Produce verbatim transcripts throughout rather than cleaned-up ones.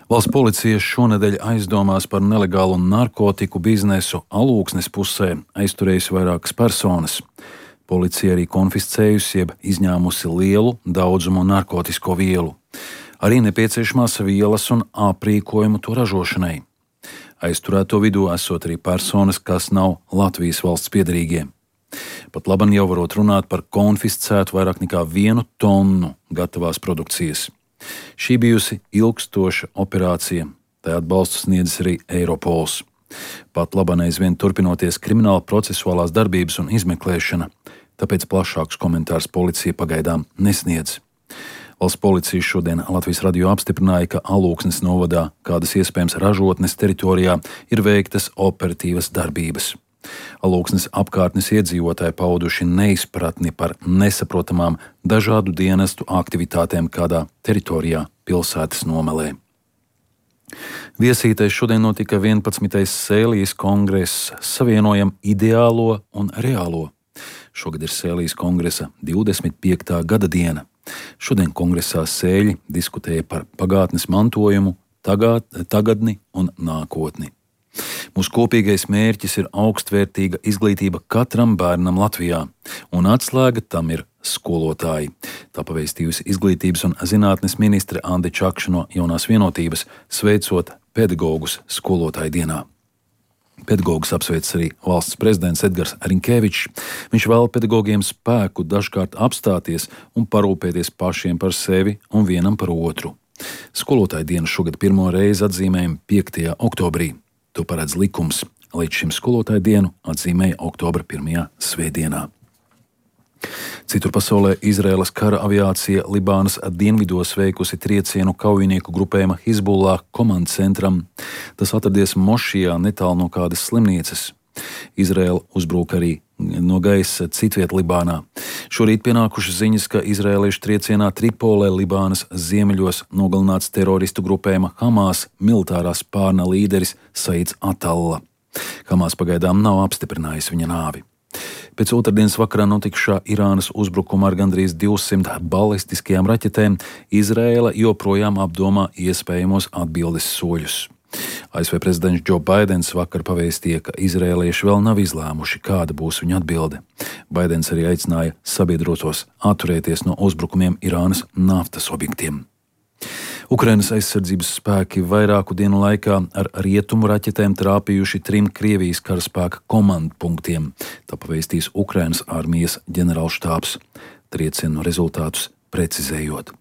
Valsts policija šonedēļ aizdomās par nelegālu narkotiku biznesu Alūksnes pusē aizturējusi vairākas personas. Policija arī konfiscējusi jeb izņēmusi lielu daudzumu narkotisko vielu, arī nepieciešamās vielas un aprīkojumu to ražošanai. Aizturēto vidū esot arī personas, kas nav Latvijas valsts piederīgie. Pat laban jau varot runāt par konfiscētu vairāk nekā vienu tonu gatavās produkcijas. Šī bijusi ilgstoša operācija, tai atbalstu sniedzis arī Eiropols. Pat laban aizvien turpinoties krimināla procesuālās darbības un izmeklēšana, tāpēc plašākus komentārus policija pagaidām nesniedz. Valsts policija šodien Latvijas radio apstiprināja, ka Alūksnes novadā kādas iespējams ražotnes teritorijā ir veiktas operatīvas darbības. Alūksnes apkārtnes iedzīvotāji pauduši neizpratni par nesaprotamām dažādu dienestu aktivitātēm kādā teritorijā pilsētas nomalē. Viesītais šodien notika vienpadsmitais Sēlijas kongress Savienojam ideālo un reālo. Šogad ir Sēlijas kongresa divdesmit piektā gada diena. Šodien kongresā sēļi diskutēja par pagātnes mantojumu, tagad, tagadni un nākotni. Mūsu kopīgais mērķis ir augstvērtīga izglītība katram bērnam Latvijā, un atslēga tam ir skolotāji. Tā pavēstījusi izglītības un zinātnes ministre Ande Čakša no Jaunās vienotības, sveicot pedagogus skolotāju dienā. Pedagogus apsveic arī valsts prezidents Edgars Riņkevičs. Viņš vēl pedagogiem spēku dažkārt apstāties un parūpēties pašiem par sevi un vienam par otru. Skolotāju dienu šogad pirmo reizi atzīmējam piektajā oktobrī. To paredz likums. Līdz šim skolotāju dienu atzīmēja oktobra pirmajā svētdienā. Citur pasaulē Izraēlas kara aviācija Libānas dienvidos veikusi triecienu kaujinieku grupējuma Hizbullah komandu centram. Tas atradies Mošijā netālu no kādas slimnīcas. Izraēla uzbruka arī no gaisa citviet Libānā. Šorīt pienākušas ziņas, ka izraēliešu triecienā Tripolē, Libānas ziemeļos, nogalināts teroristu grupējuma Hamas militārā spārna līderis Saids Atalla. Hamas pagaidām nav apstiprinājis viņa nāvi. Pēc otrdienas vakarā notikušā Irānas uzbrukuma ar gandrīz divsimt balistiskajām raķetēm Izraēla joprojām apdomā iespējamos atbildes soļus. A S V prezidents Džo Baidens vakar pavēstīja, ka izraēlieši vēl nav izlēmuši, kāda būs viņa atbilde. Baidens arī aicināja sabiedrotos atturēties no uzbrukumiem Irānas naftas objektiem. Ukrainas aizsardzības spēki vairāku dienu laikā ar rietumu raķetēm trāpījuši trim Krievijas karaspēka komandpunktiem. Tā pavēstīs Ukrainas armijas ģenerālštābs, triecienu rezultātus precizējot.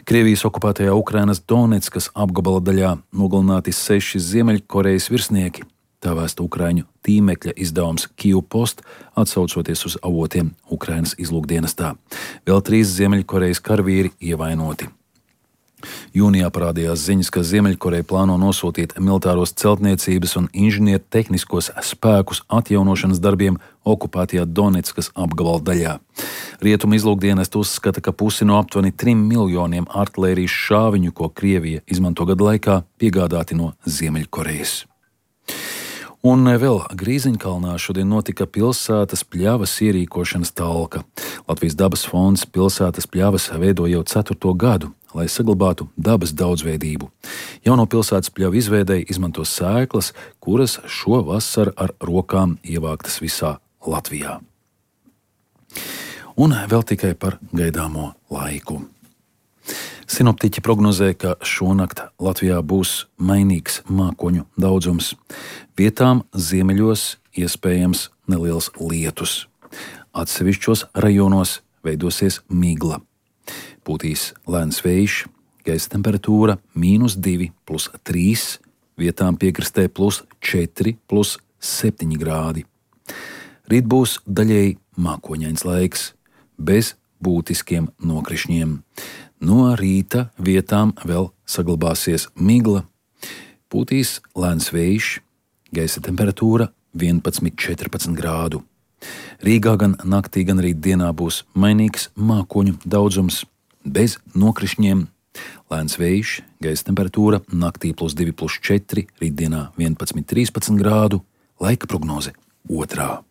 Krievijas okupētajā Ukrainas Doneckas apgabala daļā nogalināti seši Ziemeļkorejas virsnieki. Tā vēsta Ukraiņu tīmekļa izdevums Kyiv Post, atsaucoties uz avotiem Ukrainas izlūkdienestā. Vēl trīs Ziemeļkorejas karavīri ievainoti. Jūnijā parādījās ziņas, ka Ziemeļkoreja plāno nosūtīt militāros celtniecības un inženieru tehniskos spēkus atjaunošanas darbiem okupētajā Doneckas apgabala daļā. Rietumu izlūkdienesti uzskata, ka pusi no aptuveni trim miljoniem artilērijas šāviņu, ko Krievija izmanto gadu laikā, piegādāti no Ziemeļkorejas. Un vēl Grīziņkalnā šodien notika pilsētas pļavas ierīkošanas talka. Latvijas dabas fonds pilsētas pļavas veido jau ceturto gadu, lai saglabātu dabas daudzveidību. Jauno pilsētas pļavu izveidei izmanto sēklas, kuras šo vasaru ar rokām ievāktas visā Latvijā. Un vēl tikai par gaidāmo laiku. Sinoptiķi prognozē, ka šonakt Latvijā būs mainīgs mākoņu daudzums. Vietām ziemeļos iespējams neliels lietus. Atsevišķos rajonos veidosies migla. Pūtīs lēns vējš, gaisa temperatūra mīnus divi plus trīs, vietām piekrastē plus četri plus septiņi grādi. Rīt būs daļēji mākoņains laiks, bez būtiskiem nokrišņiem. No rīta vietām vēl saglabāsies migla, pūtīs lēns vējš, gaisa temperatūra vienpadsmit līdz četrpadsmit grādu. Rīgā gan naktī, gan rīt dienā būs mainīgs mākoņu daudzums, bez nokrišņiem. Lēns vējš, gaisa temperatūra naktī plus divi plus četri, rītdienā vienpadsmit līdz trīspadsmit grādu, laika prognoze otrā.